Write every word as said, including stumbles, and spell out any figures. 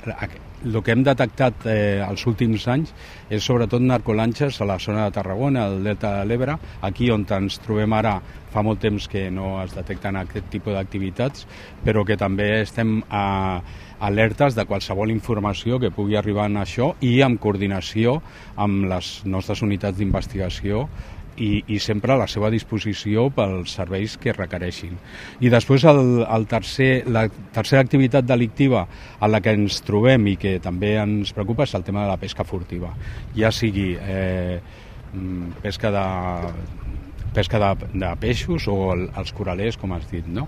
el que hem detectat eh, els últims anys és sobretot narcolanxes a la zona de Tarragona, al delta de l'Ebre, aquí on ens trobem ara fa molt temps que no es detecten aquest tipus d'activitats, però que també estem a, alertes de qualsevol informació que pugui arribar en això i en coordinació amb les nostres unitats d'investigació I, i sempre a la seva disposició pels serveis que requereixin. I després el, el tercer, la tercera activitat delictiva a la que ens trobem i que també ens preocupa és el tema de la pesca furtiva, ja sigui eh, pesca de pesca de, de peixos o el, els coralers, com has dit, no?